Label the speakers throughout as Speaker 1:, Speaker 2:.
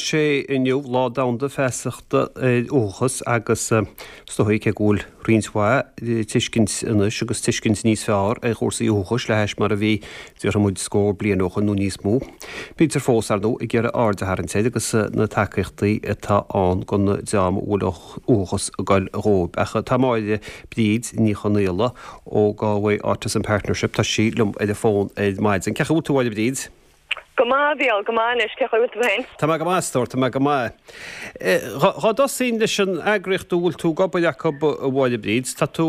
Speaker 1: sé inniu Lá Domhanda Feasachta ar Uathachas agus is dóigh cé go bhfuil roinnt mhaith tuiscint anois agus tuiscint níos fearr ar chúrsaí uathachais le hais mar a bhí, déarfaidh muid, scór bliain ó shoin nó níos mó. Bítear fós, ar ndóigh, ag iarraidh aird a tharraingt air agus na tacaíochtaí atá ann don dream a bhfuil uathachas ag goil dhóibh. Ach tá Máire Bríd Ní Chonaola ó Galway Autism Partnership, tá sí liom ar an bhfón ar maidin. Cén chaoi a bhfuil tú, a Mháire Bríd?
Speaker 2: Go maith, a Mhícheáil, go maith anois. Cén chaoi a bhfuil tú féin?
Speaker 1: Tá mé go maith, a stór, tá mé go maith. Dhá dtosóinn leis an eagraíocht a bhfuil tú ag obair acu, a Mháire Bríd, tá tú,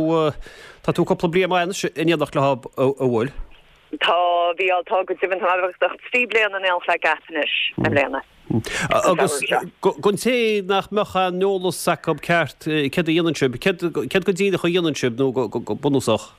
Speaker 1: tá tú cúpla bliain maith anois in éineacht leo, an bhfuil?
Speaker 2: Tá, a Mhícheáil, tá go deimhin. Tá mé beagnach 3 bliana in éineacht le GAP anois i mbliana.
Speaker 1: Agus don té nach mbeadh aon eolas acu ceart, céard a dhéanann sibh? Céard, céard go díreach a dhéanann sibh nó go bunúsach?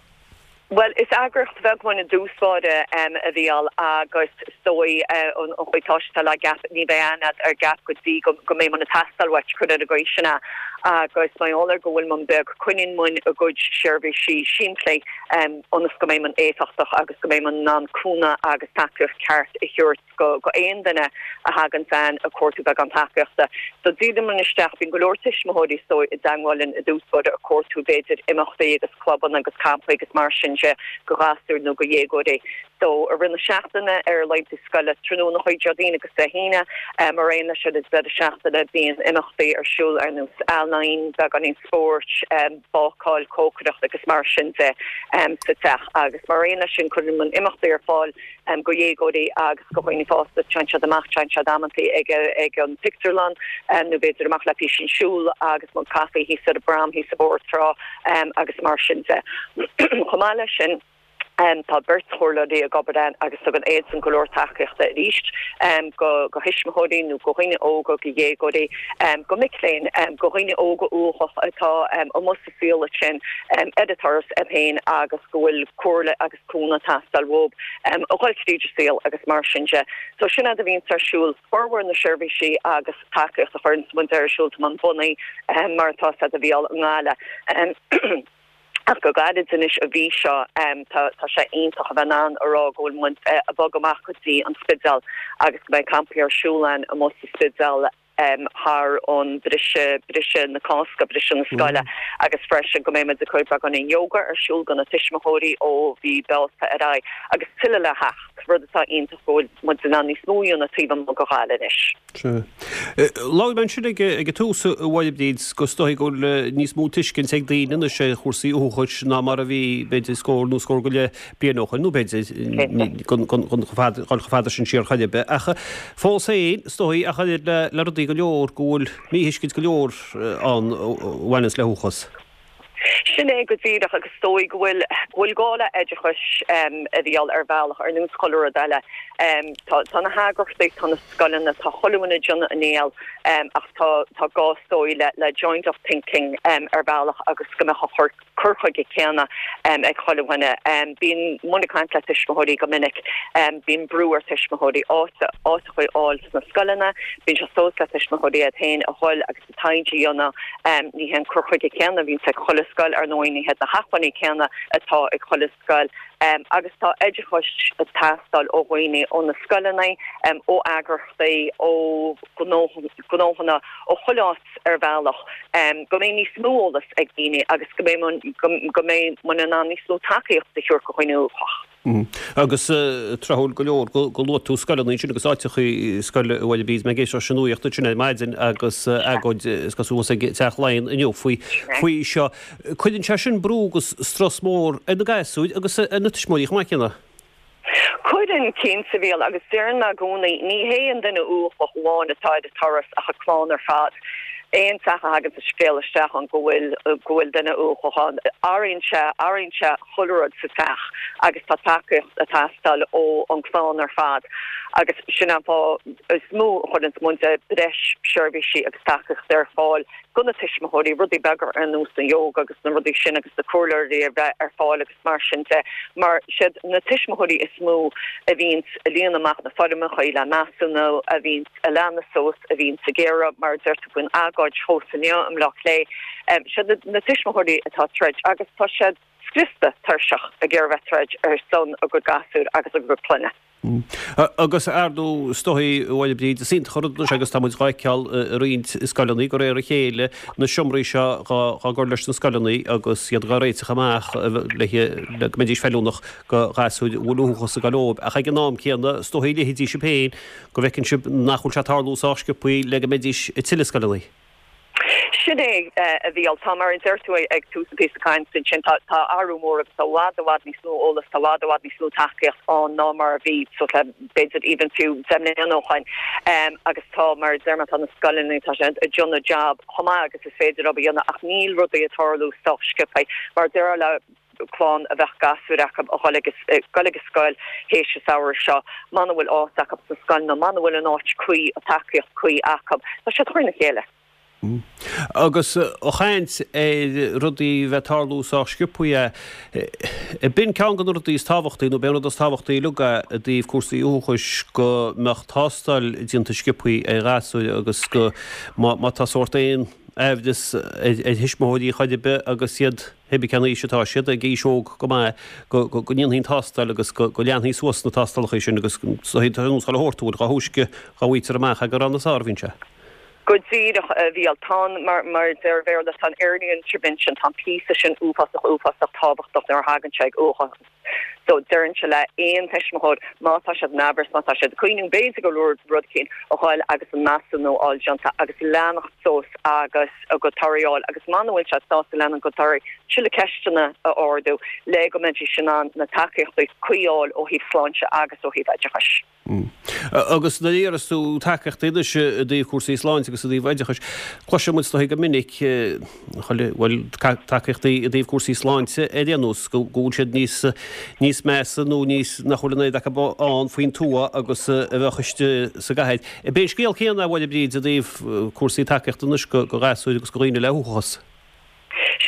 Speaker 2: Bhuel, is eagraíocht bheag muid i dtús báire, a Mhícheáil, agus is dóigh an chaoi atá sé le GAP, ní bheidh aithne agat ar GAP go dtí go mbeidh muid ag teastáil uait, cuir ar an gcaoi sin é. Agus mar gheall ar go bhfuil muid beag, coinníonn muid ár gcuid seirbhísí simplí ionas go mbeidh muid éifeachtach agus go mbeidh muid in ann cúnamh agus tacaíocht ceart a thabhairt go aon duine a thagann chugainn ag cuartú beagán tacaíochta. So díríonn muid isteach, bíonn go leor tuismitheoirí is dóigh i dteangmháil linn i dtús báire ag cuartú b'fhéidir imeachtaí agus clubanna agus campaí agus mar sin de go ghasúir nó go dhéagóirí. So i rith na seachtaine ar laethanta scoile tráthnóna Déardaoin agus Dé hAoine mar aon leis ar an deireadh seachtaine bíonn imeachtaí ar siúl ar nós ealaín, beagáinín spóirt, bácáil, cócaireacht agus mar sin de sa teach agus mar aon leis sin cuireann muid imeachtaí ar fáil go dhéagóirí agus go dhaoine fásta, téann siad amach, téann siad amantaí ag ag an pictiúrlann nó b'fhéidir amach le písín siúl agus mug caife thíos ar an bprom thíos i bPort Trá agus mar sin de. Chomh maith leis sin, tá beirt chomhairleoirí ag obair ann agus tugann iadsan go leor tacaíochta arís go go thuismitheoirí nó go dhaoine óga, go dhéagóirí, go mic léinn, go dhaoine óga uathacha atá amuigh sa saol ansin ar an turas iad féin agus go bhfuil comhairle agus cúnamh ag teastáil uathu a dhul tríd an saol agus mar sin de. So sin é a bhíonns ar siúl. Formhór na seirbhísí agus tacaíocht a chuireanns muid ar siúl tá muid bunaithe mar atá a fhios agat a Mhícheáil i nGaillimh. Ach go gairid anois an mhí seo tá tá sé iontach a bheith in ann a rá go bhfuil muid ag bogadh amach go dtí an Spidéal agus go mbeidh campaí ar siúl ann amuigh sa Spidéal. thar an briseadh, briseadh na Cásca, briseadh na scoile agus freisin go mbeidh muid ag cur beagáinín yoga ar siúl do na tuismitheoirí ó mhí Bealtaine ar aghaidh agus tuilleadh le theacht, rud atá iontach go bhfuil muid in ann níos mó a dhéanamh taobh amuigh de Ghaillimh anois.
Speaker 1: Sea. Labhair mé ansin ag an tús, a Mháire Bríd, go is dóigh go bhfuil níos mó tuiscint ag daoine anois ar chúrsaí uathachais ná mar a bhí, b'fhéidir, scór nó scór go leith bliain ó shoin, nó b'fhéidir dul chomh fada sin siar chor ar bith. Ach fós féin, is dóigh, ach oiread le rudaí go leor, go bhfuil míthuiscint go leor ann a bhaineanns le huathachas.
Speaker 2: Sin é go díreach, agus is dóigh go bhfuil, go bhfuil gá le oideachas a Mhícheáil ar bhealach, ar nós chuile rud eile. Tá, tá na heagraíochtaí, tá na scoileanna, tá chuile dhuine ag déanamh a ndícheall, ach tá, tá gá is dóigh le, le joined up thinking ar bhealach agus go mbeadh an cur, cur chuige céanna ag chuile dhuine. Bíonn muid ag caint le tuismitheoirí go minic, bíonn brú ar tuismitheoirí áit a fháil sna scoileanna, bíonn sé suas le tuismitheoirí iad féin a dhul agus an taighde a dhéanamh. Ní hé an cur chuige céanna a bhíonns ag chuile scoil, ar ndóigh, ní hiad na hacmhainní céanna atá ag chuile scoil agus tá oideachas ag teastáil ó dhaoine, ó na scoileanna, ó eagraíochtaí, ó ghnóthanna, ó chuile áit. ar bhealach, go mbeidh níos mó eolas ag daoine agus go mbeidh go mbeidh muid in ann níos mó tacaíocht a thabhairt do dhaoine uathacha.
Speaker 1: Agus tráthúil go leor go luaigh tú scoileanna ansin agus áiteachaí scoile a Mháire Bríd, mé ag éisteacht leis an nuaíocht ansin ar maidin agus agóid is cosúil ag Teach Laighean inniu faoi faoi seo. Cuireann sé sin brú agus strus mór ar na gasúir agus ar na tuismitheoirí chomh maith céanna.
Speaker 2: Cuireann, cinnte, a Mhícheáil, agus deireann mé i gcónaí, ní hé an duine uathach amháin atá ar an turas ach an clann ar fad. Aon teach a thagann an scéal isteach ann go bhfuil go bhfuil duine uathach ann, athraíonn sé, athraíonn sé chuile rud sa teach agus tá tacaíocht ag teastáil ó an clann ar fad agus sin an fáth is mó a chuireann muid breis seirbhísí agus tacaíochta ar fáil do na tuismitheoirí, rudaí beaga ar nós an yoga agus na rudaí sin agus na comhairleoirí a bheith ar fáil agus. mar sin de, mar siad na tuismitheoirí is mó a bhíonns ag líonadh amach na foirmeacha le measúnú, a bhíonns ag leanadh suas, a bhíonns ag iarraidh, mar a deir tú faoin agóid thuas inniu i mBleá Cliath, siad na tuismitheoirí atá ag troid agus tá siad. scriosta tuirseach ag iarraidh bheith troid ar son a gcuid gasúr agus a gcuid clainne.
Speaker 1: Agus ar ndóigh, is dóigh, a Mháire Bríd, is iontach an rud anois agus tá muid dhá fheiceáil i roinnt scoileanna de réir a chéile, na seomraí seo dhá gcur leis na scoileanna agus iad dhá réiteach amach le go mbeidís feiliúnach go ghasúir a bhfuil uathachas ag dul leob. Ach ag an am céanna, is dóigh, leithéidí sibh féin, go bhfeiceann sibh nach bhfuil sé ag tarlú sách sciobthaí le go mbeidís i tuilleadh scoileanna.
Speaker 2: Sin é, a Mhícheáil. Tá, mar a deir tú ag tús an píosa cainte ansin, tá athrú mór agus tá i bhfad, i bhfad níos mó eolas, tá i bhfad, i bhfad níos mó tacaíocht ann ná mar a bhí suas le b'fhéidir even fiú 10 mbliana ó shoin. Agus tá, mar a deir mé, tá na scoileanna, tá siad ag déanamh jab chomh maith agus is féidir leo a dhéanamh ach níl rudaí ag tarlú sách sciobtha. Mar a déarfá le clann a bheadh gasúir acu a dhul ag dul ag an scoil théis an samhradh seo, mana bhfuil áit acu sa scoil nó mana bhfuil an áit cuí, an tacaíocht cuí acu, tá siad trína chéile.
Speaker 1: Agus ag caint ar rudaí bheith ag tarlú sách sciobthaí, b'in ceann de na rudaí is tábhachtaí, nó b'é an rud is tábhachtaí uilig é i dtaobh cúrsaí uathachais, go mbeadh tástáil déanta sciobthaí ar ghasúir agus go, má tá sórt aon aimhreas ar thuismitheoirí chor ar bith agus iad, Pé bith cén aois atá siad, ag aois óg go maith, go ndéanfaí an tástáil agus go leanfaí suas na tástálacha sin agus tá an úsáid a thabhairt dá thúisce dhá bhfaightear amach é gur ann is fearr a bhíonn sé.
Speaker 2: Go díreach, a Mhícheáil. Tá an, mar a deir an Béarla, tá an early intervention, tá an píosa sin uafásach, uafásach tábhachtach nuair a thagann sé ag uathachas. So, déarfainnse le aon tuismitheoir, má tá siad in aimhreas, má tá siad ag cuimhniú, b'fhéidir go raibh rud eicínt, a ghoil agus an measúnú a fháil déanta agus leanacht suas agus a gcuid torthaí a fháil agus mana bhfuil siad sásta lena gcuid torthaí, tuilleadh ceisteanna a ardú le go mbeidís in ann na tacaíochtaí cuí a fháil ó thaobh sláinte agus ó thaobh oideachais.
Speaker 1: Agus nuair a iarras tú tacaíochtaí anois i dtaobh cúrsaí sláinte agus i dtaobh oideachais, cloiseann muid is dóigh go minic, bhuel, tacaíochtaí i dtaobh cúrsaí sláinte ar aon nós, go bhfuil siad níos, níos measa nó níos, nach bhfuil an oiread acu ann faoin tuath agus a bheadh istigh sa gcathair. B'é an scéal céanna, a Mháire Bríd, i dtaobh cúrsaí tacaíochta anois go ghasúir agus go dhaoine le huathachas.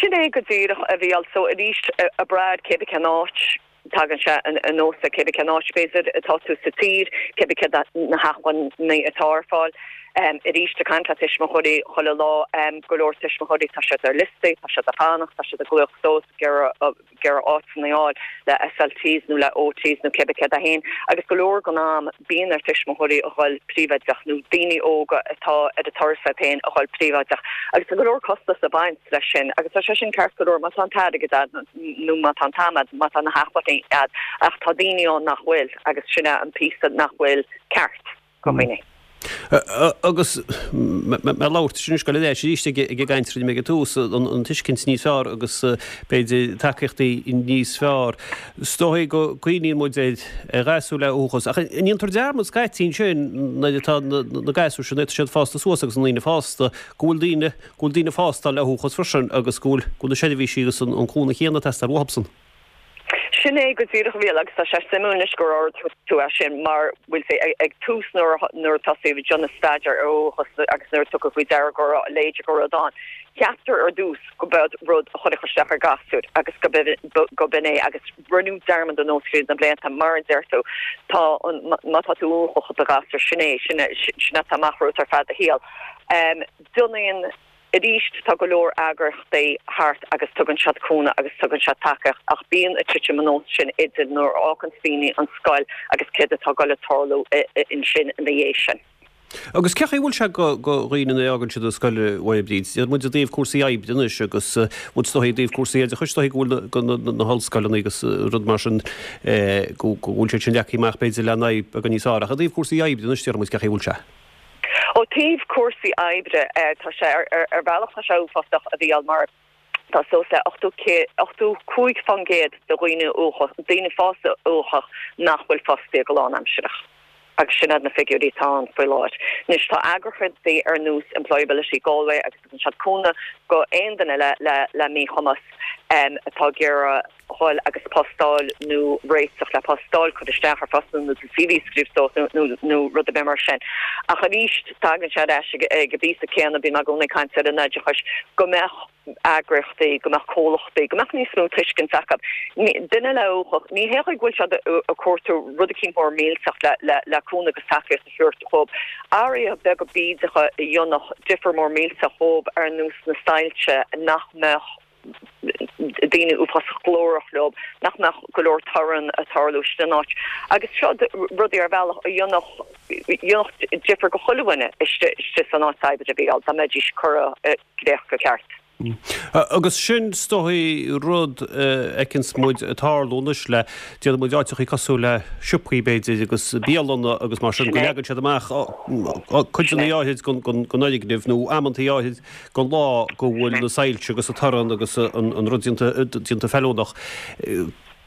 Speaker 2: Sin é go díreach, a Mhícheáil. So arís, ag brath cé bith cén áit, Tagann sé anuas ar cé bith cén áit, b'fhéidir, atá tú sa tír, cé bith céard na hacmhainní atá ar fáil. Arís, ag caint le tuismitheoirí chuile lá, go leor tuismitheoirí, tá siad ar liostaí, tá siad ag fanacht, tá siad ag glaoch suas, ag iarraidh áiteanna a fháil le SLTs nó le OTs nó cé bith céard é féin. Agus go leor den am, bíonn ar tuismitheoirí a dhul príobháideach nó daoine óga atá ar an turas iad féin a dhul príobháideach agus tá go leor costas ag baint leis sin agus tá sé sin ceart go leor má tá an t-airgead a'd nó má tá an t-am a'd, má tá na hacmhainní a'd ach tá daoine ann nach bhfuil agus sin é an píosa nach bhfuil ceart go dhaoine.
Speaker 1: Agus mé ag labhairt anois, ag dul ar ais arís ag an gcaint a rinne mé ag an tús, an tuiscint níos fearr agus b'fhéidir tacaíochtaí níos fearr. Is dóigh go gcuimhníonn muid ar ghasúir le uathachas, ach an ndéantar dearmad scaití ansin nuair atá na gasúir sin, nuair atá siad fásta suas agus na ndaoine fásta, go bhfuil daoine, go bhfuil daoine fásta le huathachas freisin agus go bhfuil, go bhfuil na seirbhísí agus an cúnamh chéanna ag teastáil uathubsan.
Speaker 2: Sin é go díreach a Mhícheáil agus tá sé suimiúil anois gur ardaigh tú é sin mar bhfuil sé ag tús nuair nuair a tosaíodh ag déanamh staidéar ar uathachas agus nuair a tugadh faoi deara go raibh a leithéid de rud ann. Ceaptar ar dtús go b'eod rud a chuirfeadh isteach ar ghasúir agus go go b'in é agus rinneadh dearmad anuas tríd na blianta mar a deir tú tá an má tá tú uathach i do ghasúr sin é sin sin atá amach romhat ar feadh do shaoil. Déanann Arís, tá go leor eagraíochtaí thart agus tugann siad cúnamh agus tugann siad tacaíocht ach bíonn an titim anuas sin idir nuair a fháganns daoine an scoil agus céard atá ag dul ag tarlú ansin ina dhiaidh sin.
Speaker 1: Agus cé chaoi a bhfuil sé go dhaoine nuair a fhágann siad an scoil a Mháire Bríd? Tá muid i dtaobh cúrsaí oibre anois agus muid is dóigh i dtaobh cúrsaí oideachais, is dóigh go bhfuil na hollscoileanna agus rud mar sin go bhfuil siad sin leagtha amach b'fhéidir le n-aghaidh beagán níos fearr ach i dtaobh cúrsaí oibre anois déarfaidh muid cé chaoi a bhfuil sé?
Speaker 2: Ó thaobh cúrsaí oibre, tá sé, ar bhealach tá sé uafásach a Mhícheáil mar tá suas le 85% de dhaoine uathach, daoine fásta uathach nach bhfuil fostaithe go lánaimsearach agus sin iad na figiúirí atá ann faoi láthair. Anois tá eagraíochtaí ar nós Employability Galway agus tugann siad cúnamh go aon duine le le míchumas atá ag iarraidh dhul agus post a fháil nó réiteach le post a fháil, cur isteach ar phostanna nó do CV a scríobh suas nó nó rud ar bith mar sin. Ach arís, tagann sé ar ais ag an bpíosa céanna, bíonn mé i gcónaí ag caint ar an oideachais, go mbeadh eagraíochtaí, go mbeadh comhlachtaí, go mbeadh níos mó tuiscint acu. Duine le uathachas, ní hé go bhfuil siad ag cuartú rud eicínt mór millteach le le le cúnamh agus tacaíocht a thabhairt dhóibh. Athruithe beaga bídeacha a dhéanfadh difear mór millteach dhóibh ar nós na soilse nach mbeadh. daoine uafásach glórach leo, nach mbeadh go leor torann ag tarlú istigh san áit. Agus seo rudaí ar bhealach a dhéanfadh difear go chuile dhuine istigh san áit oibre a Mhícheáil, dá mbeidís curtha i gcrích go ceart.
Speaker 1: Agus sin is dóigh rud a fheiceanns muid ag tarlú anois le, déarfaidh muid áiteachaí cosúil le siopaí b'fhéidir agus bialanna agus mar sin go leagann siad amach codanna áithrid den fhoirgneamh nó amantaí áithrid den lá go bhfuil na soilse agus an torann agus an rud déanta feiliúnach.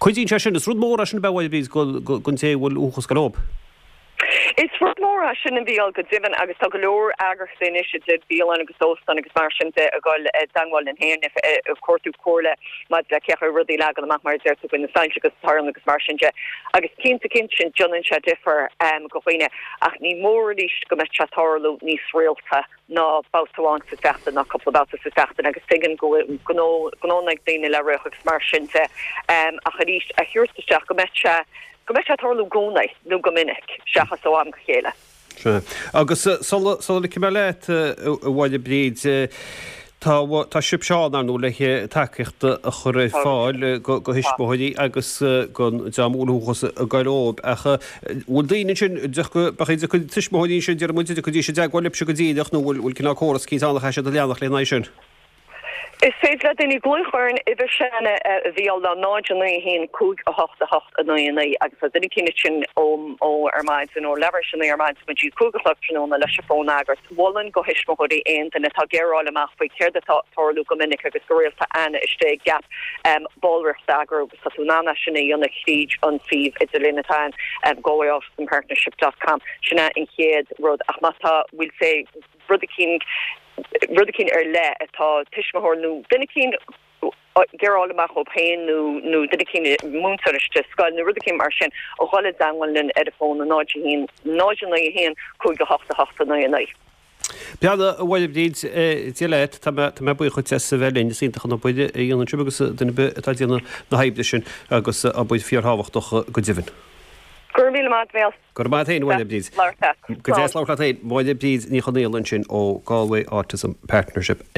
Speaker 1: Cuidíonn sé sin, is rud mór é sin ab ea a Mháire Bríd don té a bhfuil uathachas ag goil leob.
Speaker 2: Is rud mór é sin a Mhícheáil go deimhin agus tá go leor eagraíochtaí anois idir bialann agus óstáin agus mar sin de ag dul i dteangmháil linn féin ag cuartú comhairle maidir le cé chaoi rudaí a leagan amach mar a deir tú faoi na soilse agus torann agus mar sin de agus cinnte cinnte sin déanann sé difear go dhaoine ach ní mór arís go mbeadh sé ag tarlú níos rialta ná babhta amháin sa tseachtain ná cúpla babhta sa tseachtain agus tuigim go bhfuil gnó gnónna ag daoine le rith agus mar sin de ach arís a thabhairt isteach go mbeadh sé go mbeadh sé ag tarlú i gcónaí nó go minic seachas ó am go chéile.
Speaker 1: Sea. Agus sula sula ligfidh mé leat, a Mháire Bríd, tá tá sibhse ann, ar ndóigh, le tacaíocht a chur ar fáil go go thuismitheoirí agus don dream a bhfuil uathachas ag goil leob. Ach bhfuil daoine ansin, b'fhéidir tuismitheoirí ansin, déarfaidh muid, an dtiocfaidís i dteagmháil libhse go díreach nó bhfuil bhfuil cineál córas eicínt ann a chaithfidh siad a leanacht lena aghaidh sin?
Speaker 2: Is féidir le daoine glaoch ar an uimhir sin a Mhícheáil ná 0 9 1 5 8 8 9 9 agus tá duine eicínt ansin ó ó ar maidin ó leathuair tar éis a 9 ar maidin go dtí 5 a chlog tráthnóna leis an bhfón a fhreagairt. Mholfainn go thuismitheoirí aon duine atá ag iarraidh fháil amach faoi céard atá ag tarlú go minic agus go rialta ann istigh i GAP ballraíocht a eagrú agus tá tú in ann é sin a dhéanamh thríd an suíomh idirlín atá ann galwayautismpartnership dot com. Sin é an chéad rud ach má tá bhfuil sé rud eicínt rud eicínt ar leith atá tuismitheoir nó duine eicínt ag iarraidh fháil amach dhóibh féin nó nó duine eicínt múinteoir istigh sa scoil nó rud eicínt mar sin a dhul i dteangmháil linn ar an bhfón 0 1 0 9 1 5 8 8 9 9.
Speaker 1: Beannacht a Mháire Bríd Dé leat, tá mé tá mé buíoch dhuit as a bheith linn, is iontach an obair a dhéanann sibh agus duine ar bith atá ag déanamh na hoibre sin agus obair fíorthábhachtach go deimhin.
Speaker 2: Go raibh míle maith agat.
Speaker 1: Go raibh maith agat féin, a Mháire Bríd.
Speaker 2: Labhairt leat.
Speaker 1: Go deas labhairt leat féin. Máire Bríd Ní Chonaola ansin ó Galway Autism Partnership.